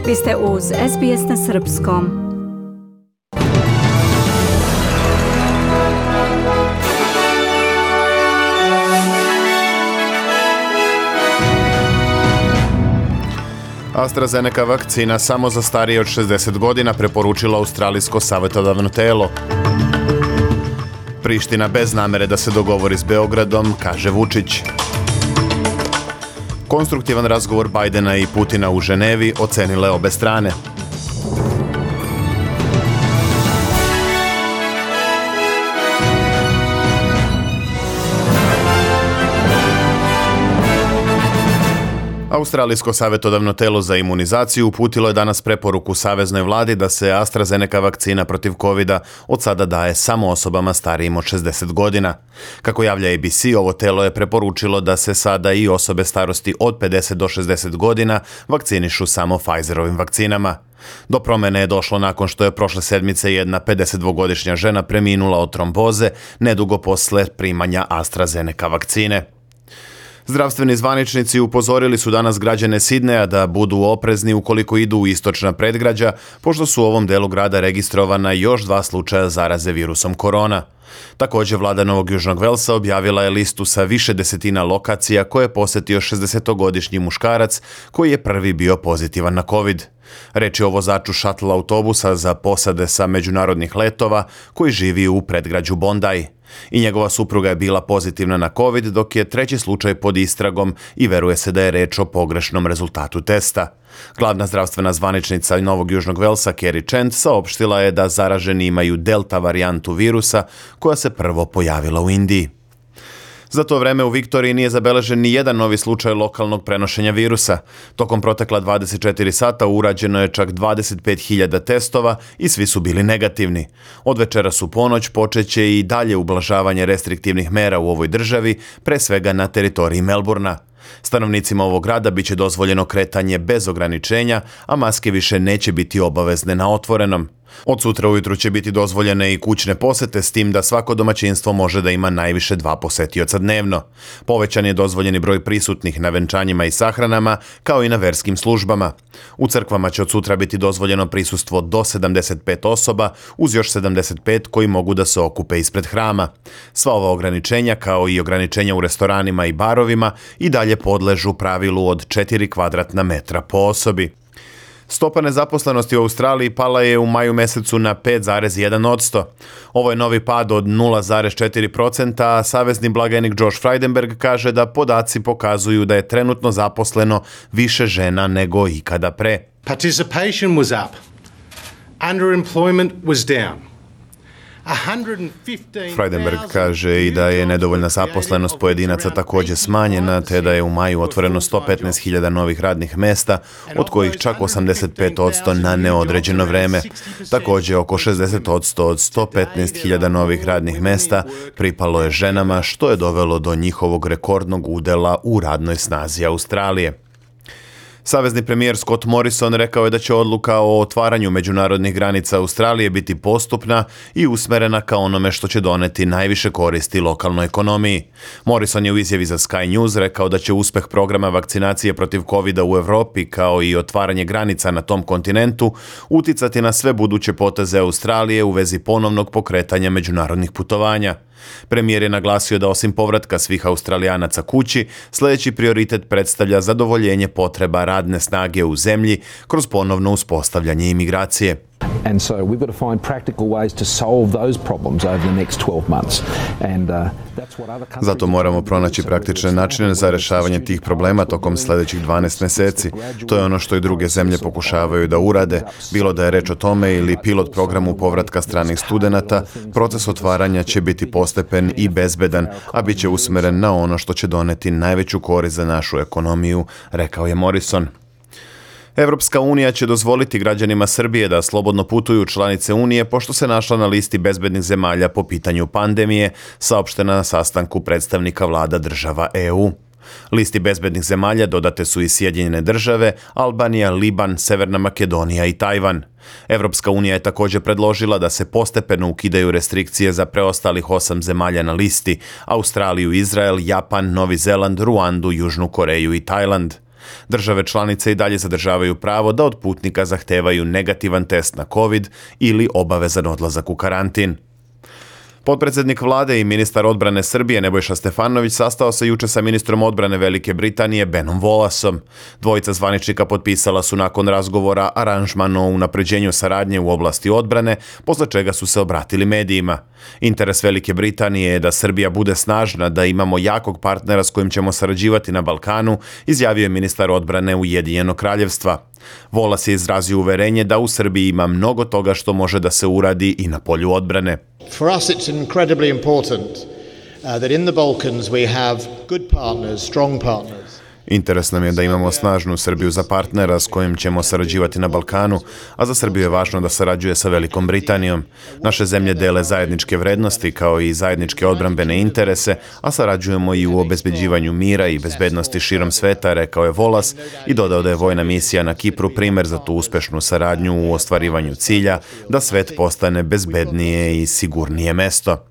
Vi ste uz SBS na srpskom. AstraZeneca vakcina samo za starije od 60 godina, preporučilo australijsko savjetodavno telo. Priština bez namere da se dogovori s Beogradom, kaže Vučić. Konstruktivan razgovor Bajdena i Putina u Ženevi ocenile obe strane. Australijsko savjetodavno telo za imunizaciju uputilo je danas preporuku saveznoj vladi da se AstraZeneca vakcina protiv covida od sada daje samo osobama starijim od 60 godina. Kako javlja ABC, ovo telo je preporučilo da se sada i osobe starosti od 50 do 60 godina vakcinišu samo Pfizerovim vakcinama. Do promjene je došlo nakon što je prošle sedmice jedna 52-godišnja žena preminula od tromboze nedugo posle primanja AstraZeneca vakcine. Zdravstveni zvaničnici upozorili su danas građane Sidneja da budu oprezni ukoliko idu u istočna predgrađa, pošto su u ovom delu grada registrovana još 2 slučaja zaraze virusom korona. Također, vlada Novog Južnog Velsa objavila je listu sa više desetina lokacija koje je posjetio 60-godišnji muškarac koji je prvi bio pozitivan na COVID. Reč je o vozaču šatl autobusa za posade sa međunarodnih letova koji živi u predgrađu Bondi. I njegova supruga je bila pozitivna na COVID, dok je treći slučaj pod istragom i veruje se da je reč o pogrešnom rezultatu testa. Glavna zdravstvena zvaničnica Novog Južnog Velsa, Kerry Chant, saopštila je da zaraženi imaju delta varijantu virusa koja se prvo pojavila u Indiji. Za to vreme u Viktoriji nije zabeležen ni jedan novi slučaj lokalnog prenošenja virusa. Tokom protekla 24 sata urađeno je čak 25.000 testova i svi su bili negativni. Od večeras u ponoć počeće i dalje ublažavanje restriktivnih mera u ovoj državi, pre svega na teritoriji Melburna. Stanovnicima ovog grada biće dozvoljeno kretanje bez ograničenja, a maske više neće biti obavezne na otvorenom. Od sutra ujutru će biti dozvoljene i kućne posete, s tim da svako domaćinstvo može da ima najviše 2 posetioca dnevno. Povećan je dozvoljeni broj prisutnih na venčanjima i sahranama, kao i na verskim službama. U crkvama će od sutra biti dozvoljeno prisustvo do 75 osoba, uz još 75 koji mogu da se okupe ispred hrama. Sva ova ograničenja, kao i ograničenja u restoranima i barovima, i dalje podležu pravilu od 4 kvadratna metra po osobi. Stopa nezaposlenosti u Australiji pala je u maju mesecu na 5,1%. Ovo je novi pad od 0,4%, a savezni blagajnik Josh Frydenberg kaže da podaci pokazuju da je trenutno zaposleno više žena nego ikada pre. Participation was up. Underemployment was down. Frydenberg kaže i da je nedovoljna zaposlenost pojedinaca također smanjena, te da je u maju otvoreno 115.000 novih radnih mesta, od kojih čak 85% na neodređeno vreme. Također oko 60% od 115.000 novih radnih mesta pripalo je ženama, što je dovelo do njihovog rekordnog udela u radnoj snazi Australije. Savezni premijer Scott Morrison rekao je da će odluka o otvaranju međunarodnih granica Australije biti postupna i usmerena ka onome što će doneti najviše koristi lokalnoj ekonomiji. Morrison je u izjavi za Sky News rekao da će uspeh programa vakcinacije protiv covida u Evropi, kao i otvaranje granica na tom kontinentu, uticati na sve buduće poteze Australije u vezi ponovnog pokretanja međunarodnih putovanja. Premijer je naglasio da osim povratka svih Australijanaca kući, sljedeći prioritet predstavlja zadovoljenje potreba radne snage u zemlji kroz ponovno uspostavljanje imigracije. And so we've got to find practical ways to solve those problems over the next 12 months. And that's what other countries. Zato moramo pronaći praktične načine za rješavanje tih problema tokom sljedećih 12 mjeseci. To je ono što i druge zemlje pokušavaju da urade, bilo da je reč o tome ili pilot programu povratka stranih studenata. Proces otvaranja će biti postepen i bezbedan, a bit će usmeren na ono što će doneti najveću korist za našu ekonomiju, rekao je Morrison. Evropska unija će dozvoliti građanima Srbije da slobodno putuju članice Unije pošto se našla na listi bezbednih zemalja po pitanju pandemije, saopštena na sastanku predstavnika vlada država EU. Listi bezbednih zemalja dodate su i Sjedinjene države, Albanija, Liban, Severna Makedonija i Tajvan. Evropska unija je također predložila da se postepeno ukidaju restrikcije za preostalih 8 zemalja na listi: Australiju, Izrael, Japan, Novi Zeland, Ruandu, Južnu Koreju i Tajland. Države članice i dalje zadržavaju pravo da od putnika zahtevaju negativan test na COVID ili obavezan odlazak u karantin. Potpredsjednik vlade i ministar odbrane Srbije Nebojša Stefanović sastao se juče sa ministrom odbrane Velike Britanije Benom Wallaceom. Dvojica zvaničnika potpisala su nakon razgovora aranžman o unapređenju saradnje u oblasti odbrane, posle čega su se obratili medijima. Interes Velike Britanije je da Srbija bude snažna, da imamo jakog partnera s kojim ćemo sarađivati na Balkanu, izjavio je ministar odbrane Ujedinjenog Kraljevstva. Wallace je izrazio uverenje da u Srbiji ima mnogo toga što može da se uradi i na polju odbrane. For us it's incredibly important that in the Balkans we have good partners, strong partners. Interes nam je da imamo snažnu Srbiju za partnera s kojim ćemo sarađivati na Balkanu, a za Srbiju je važno da sarađuje sa Velikom Britanijom. Naše zemlje dele zajedničke vrednosti kao i zajedničke odbrambene interese, a sarađujemo i u obezbeđivanju mira i bezbednosti širom sveta, rekao je Wallace i dodao da je vojna misija na Kipru primer za tu uspešnu saradnju u ostvarivanju cilja da svet postane bezbednije i sigurnije mesto.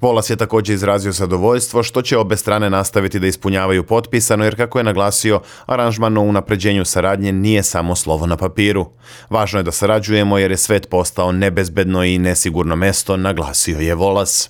Wallace je također izrazio zadovoljstvo što će obe strane nastaviti da ispunjavaju potpisano, jer kako je naglasio, aranžman o unapređenju saradnje nije samo slovo na papiru. Važno je da sarađujemo jer je svet postao nebezbedno i nesigurno mesto, naglasio je Wallace.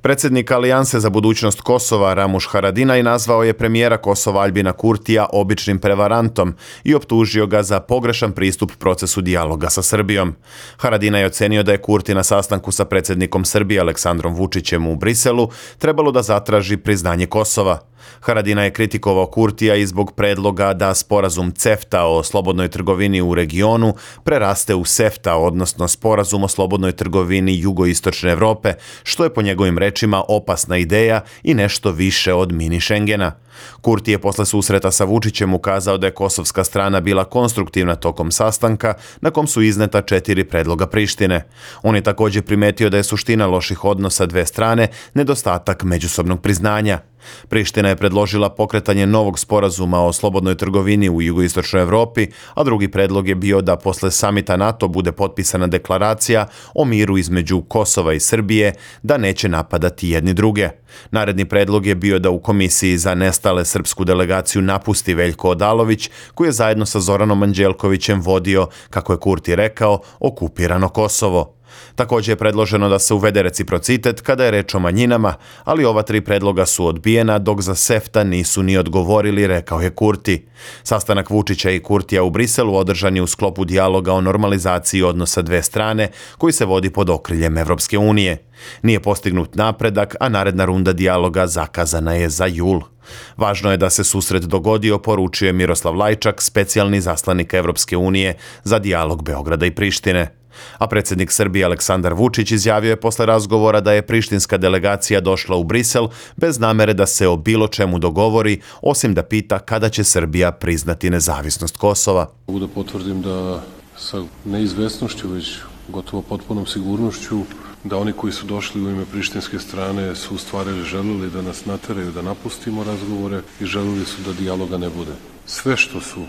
Predsjednik Alijanse za budućnost Kosova Ramuš Haradinaj nazvao je premijera Kosova Aljbina Kurtija običnim prevarantom i optužio ga za pogrešan pristup procesu dijaloga sa Srbijom. Haradinaj je ocenio da je Kurti na sastanku sa predsjednikom Srbije Aleksandrom Vučićem u Briselu trebalo da zatraži priznanje Kosova. Haradinaj je kritikovao Kurtija i zbog predloga da sporazum CEFTA o slobodnoj trgovini u regionu preraste u SEFTA, odnosno sporazum o slobodnoj trgovini jugoistočne Evrope, što je po njegovim rečima opasna ideja i nešto više od mini Schengena. Kurti je posle susreta sa Vučićem ukazao da je kosovska strana bila konstruktivna tokom sastanka, na kom su izneta 4 predloga Prištine. On je također primetio da je suština loših odnosa dve strane nedostatak međusobnog priznanja. Priština je predložila pokretanje novog sporazuma o slobodnoj trgovini u jugoistočnoj Evropi, a drugi predlog je bio da posle samita NATO bude potpisana deklaracija o miru između Kosova i Srbije, da neće napadati jedni druge. Naredni predlog je bio da u Komisiji za nestale srpsku delegaciju napusti Veljko Odalović, koji je zajedno sa Zoranom Anđelkovićem vodio, kako je Kurti rekao, okupirano Kosovo. Također je predloženo da se uvede reciprocitet kada je reč o manjinama, ali ova 3 predloga su odbijena, dok za SEFTA nisu ni odgovorili, rekao je Kurti. Sastanak Vučića i Kurtija u Briselu održan je u sklopu dijaloga o normalizaciji odnosa dve strane, koji se vodi pod okriljem Evropske unije. Nije postignut napredak, a naredna runda dijaloga zakazana je za jul. Važno je da se susret dogodio, poručio je Miroslav Lajčak, specijalni zaslanik Evropske unije za dijalog Beograda i Prištine. A predsjednik Srbije Aleksandar Vučić izjavio je posle razgovora da je prištinska delegacija došla u Brisel bez namere da se o bilo čemu dogovori, osim da pita kada će Srbija priznati nezavisnost Kosova. Mogu da potvrdim da sa neizvesnošću, već gotovo potpunom sigurnošću, da oni koji su došli u ime prištinske strane su u stvari želeli da nas nateraju da napustimo razgovore i želeli su da dijaloga ne bude. Sve što su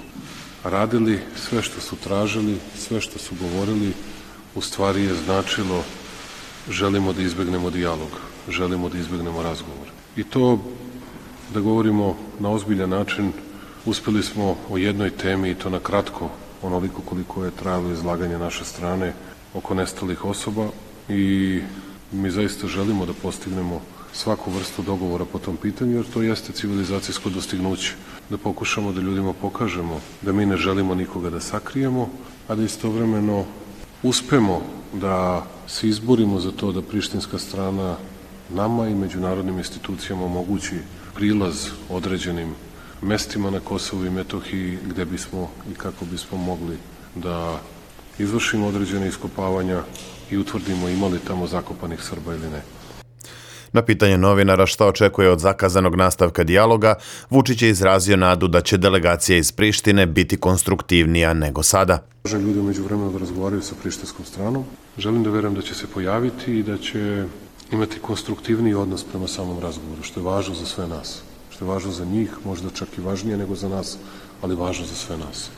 radili, sve što su tražili, sve što su govorili, u stvari je značilo želimo da izbegnemo dijalog, želimo da izbegnemo razgovor. I to, da govorimo na ozbiljan način, uspeli smo o jednoj temi, i to na kratko, onoliko koliko je trajalo izlaganje naše strane oko nestalih osoba, i mi zaista želimo da postignemo svaku vrstu dogovora po tom pitanju, jer to jeste civilizacijsko dostignuće. Da pokušamo da ljudima pokažemo da mi ne želimo nikoga da sakrijemo, a da istovremeno uspemo da se izborimo za to da prištinska strana nama i međunarodnim institucijama omogući prilaz određenim mestima na Kosovu i Metohiji gde bismo i kako bismo mogli da izvršimo određene iskopavanja i utvrdimo imali tamo zakopanih Srba ili ne. Na pitanje novinara šta očekuje od zakazanog nastavka dijaloga, Vučić je izrazio nadu da će delegacija iz Prištine biti konstruktivnija nego sada. Želim ljudi umeđu vremenu da razgovaraju sa prištinskom stranom. Želim da verujem da će se pojaviti i da će imati konstruktivniji odnos prema samom razgovoru, što je važno za sve nas. Što je važno za njih, možda čak i važnije nego za nas, ali važno za sve nas.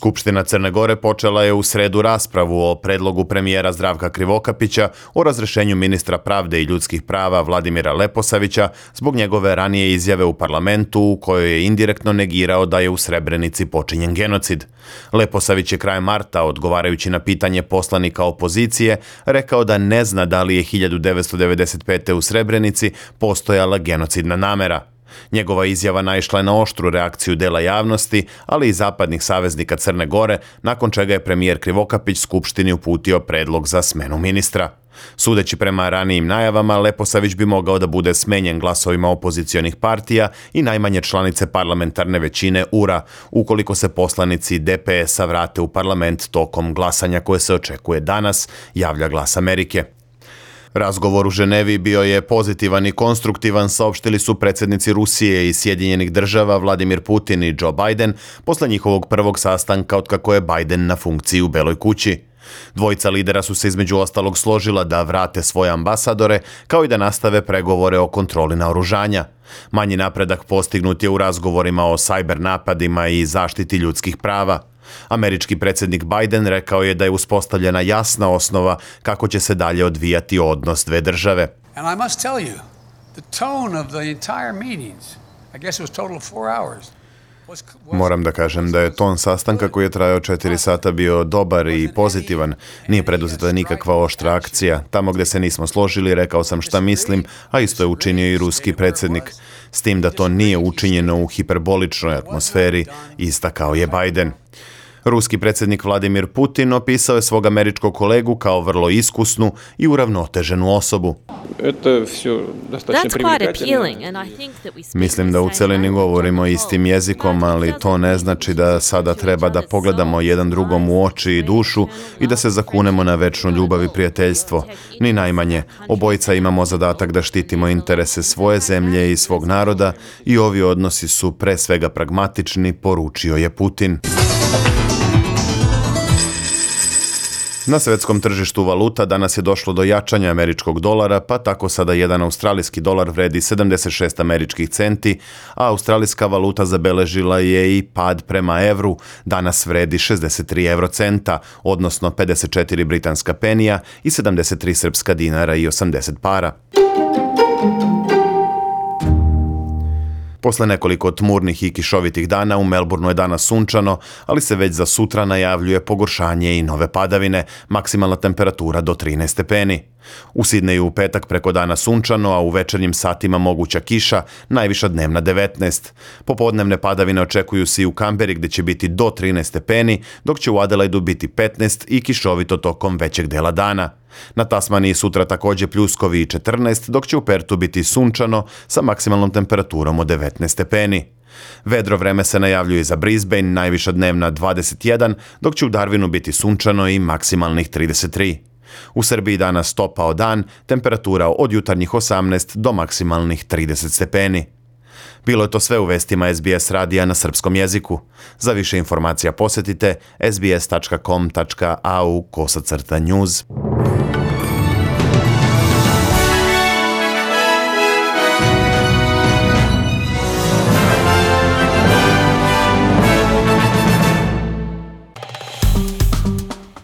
Skupština Crne Gore počela je u sredu raspravu o predlogu premijera Zdravka Krivokapića o razrešenju ministra pravde i ljudskih prava Vladimira Leposavića zbog njegove ranije izjave u parlamentu u kojoj je indirektno negirao da je u Srebrenici počinjen genocid. Leposavić je krajem marta, odgovarajući na pitanje poslanika opozicije, rekao da ne zna da li je 1995. u Srebrenici postojala genocidna namera. Njegova izjava naišla je na oštru reakciju dela javnosti, ali i zapadnih saveznika Crne Gore, nakon čega je premijer Krivokapić Skupštini uputio predlog za smenu ministra. Sudeći prema ranijim najavama, Leposavić bi mogao da bude smenjen glasovima opozicionih partija i najmanje članice parlamentarne većine URA, ukoliko se poslanici DPS-a vrate u parlament tokom glasanja koje se očekuje danas, javlja Glas Amerike. Razgovor u Ženevi bio je pozitivan i konstruktivan, saopštili su predsjednici Rusije i Sjedinjenih država Vladimir Putin i Joe Biden posle njihovog prvog sastanka otkako je Biden na funkciji u Beloj kući. Dvojica lidera su se između ostalog složila da vrate svoje ambasadore, kao i da nastave pregovore o kontroli naoružanja. Manji napredak postignut je u razgovorima o sajber napadima i zaštiti ljudskih prava. Američki predsjednik Biden rekao je da je uspostavljena jasna osnova kako će se dalje odvijati odnos dve države. And I must tell you, the tone of the entire meetings, I guess it was total of 4 hours. Moram da kažem da je ton sastanka koji je trajao 4 sata bio dobar i pozitivan. Nije preduzeta nikakva oštra akcija. Tamo gde se nismo složili, rekao sam šta mislim, a isto je učinio i ruski predsjednik. S tim da to nije učinjeno u hiperboličnoj atmosferi, istakao je Biden. Ruski predsjednik Vladimir Putin opisao je svog američkog kolegu kao vrlo iskusnu i uravnoteženu osobu. Mislim da u celini govorimo istim jezikom, ali to ne znači da sada treba da pogledamo jedan drugom u oči i dušu i da se zakunemo na večnu ljubav i prijateljstvo. Ni najmanje. Obojica imamo zadatak da štitimo interese svoje zemlje i svog naroda i ovi odnosi su pre svega pragmatični, poručio je Putin. Na svetskom tržištu valuta danas je došlo do jačanja američkog dolara, pa tako sada jedan australijski dolar vredi 76 američkih centi, a australijska valuta zabeležila je i pad prema evru, danas vredi 63 eurocenta, odnosno 54 britanska penija i 73 srpska dinara i 80 para. Posle nekoliko tmurnih i kišovitih dana u Melbourneu je danas sunčano, ali se već za sutra najavljuje pogoršanje i nove padavine, maksimalna temperatura do 13 stepeni. U Sidneju u petak preko dana sunčano, a u večernjim satima moguća kiša, najviša dnevna 19. Popodnevne padavine očekuju se i u Kamberi gde će biti do 13 stepeni, dok će u Adelaidu biti 15 i kišovito tokom većeg dela dana. Na Tasmaniji sutra također pljuskovi i 14, dok će u Pertu biti sunčano sa maksimalnom temperaturom od 19 stepeni. Vedro vreme se najavljuje i za Brisbane, najviša dnevna 21, dok će u Darwinu biti sunčano i maksimalnih 33. U Srbiji danas topao dan, temperatura od jutarnjih 18 do maksimalnih 30 stepeni. Bilo je to sve u vestima SBS radija na srpskom jeziku. Za više informacija posjetite sbs.com.au/news.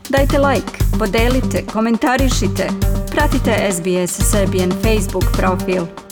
Dajte like, podelite, komentarišite. Pratite SBS Serbian Facebook profil.